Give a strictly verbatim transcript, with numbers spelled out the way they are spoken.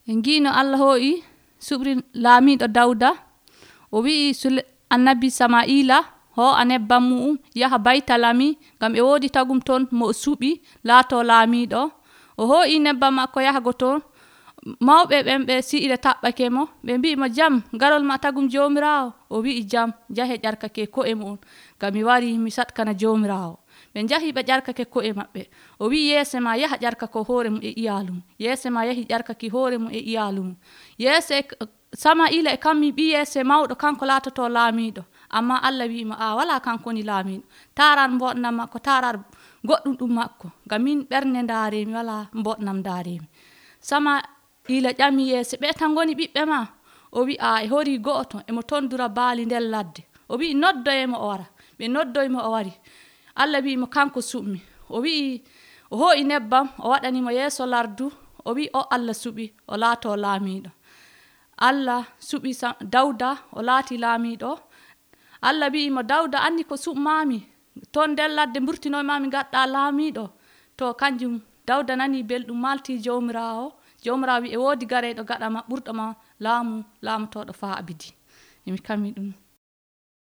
En giino Allah hoo'i suɓri laamiɗo Dawda o wi'i Sule annabi Sama'ila hoo'a nebbam mu'um yaha Baytalami ngam e woodi tagum ton mo o suɓi laato laamiɗo. O hoo'i nebbam makko yahago ton. Mawɓe ɓen ɓe si'ire taɓɓake mo ɓe mbi'i mo jam garol ma tagum jomirawo. O wi'i jam njahe ƴarkake ko'e mon ngam mi wari mi saɗkana jomirawo. ɓe njahi ɓe ƴarkake ko'e maɓɓe. O wi'i yeese ma yaha ƴarkako hoore mum e iyalu mum. Yeese ma yahi ƴarkaki hoore mum e iyalu mum. Yeese Sama'ila e kammi ɓi yeese mawɗo kanko laatoto laamiɗo, amma Allah wi'i mo a wala kanko woni laamiɗo, tarar mboɗnam makko, tarar goɗɗum ɗum makko, ngam min ɓernde ndaaremi wala mboɗnam ndaaremi. Sama'ila ƴami yeese ɓe tan ngoni ɓiɓɓe ma? O wi'i a e hori go'oto emo tondura baali nder ladde. O wi'i noddoyemo o wara. ɓe noddoymo o wari. Allah wi'i mo kanko suɓmi. O wi'i o hoo'i nebbam o waɗanimo yeeso lardu. O wi'i o Allah suɓi o laato laamiɗo. Allah suɓi Dawda o laati laamiɗo. Allah wi'i mo Dawda andi ko suɓmami ton nder ladde mburtinoymami ngaɗɗa laamiɗo. To kanjum Dawda nani belɗum malti jomirawo. Jomirawo wi'i e woodi gareɗo gaɗa ma ɓurɗo ma laamu laamotoɗo faa abidi. Emi kammi ɗum.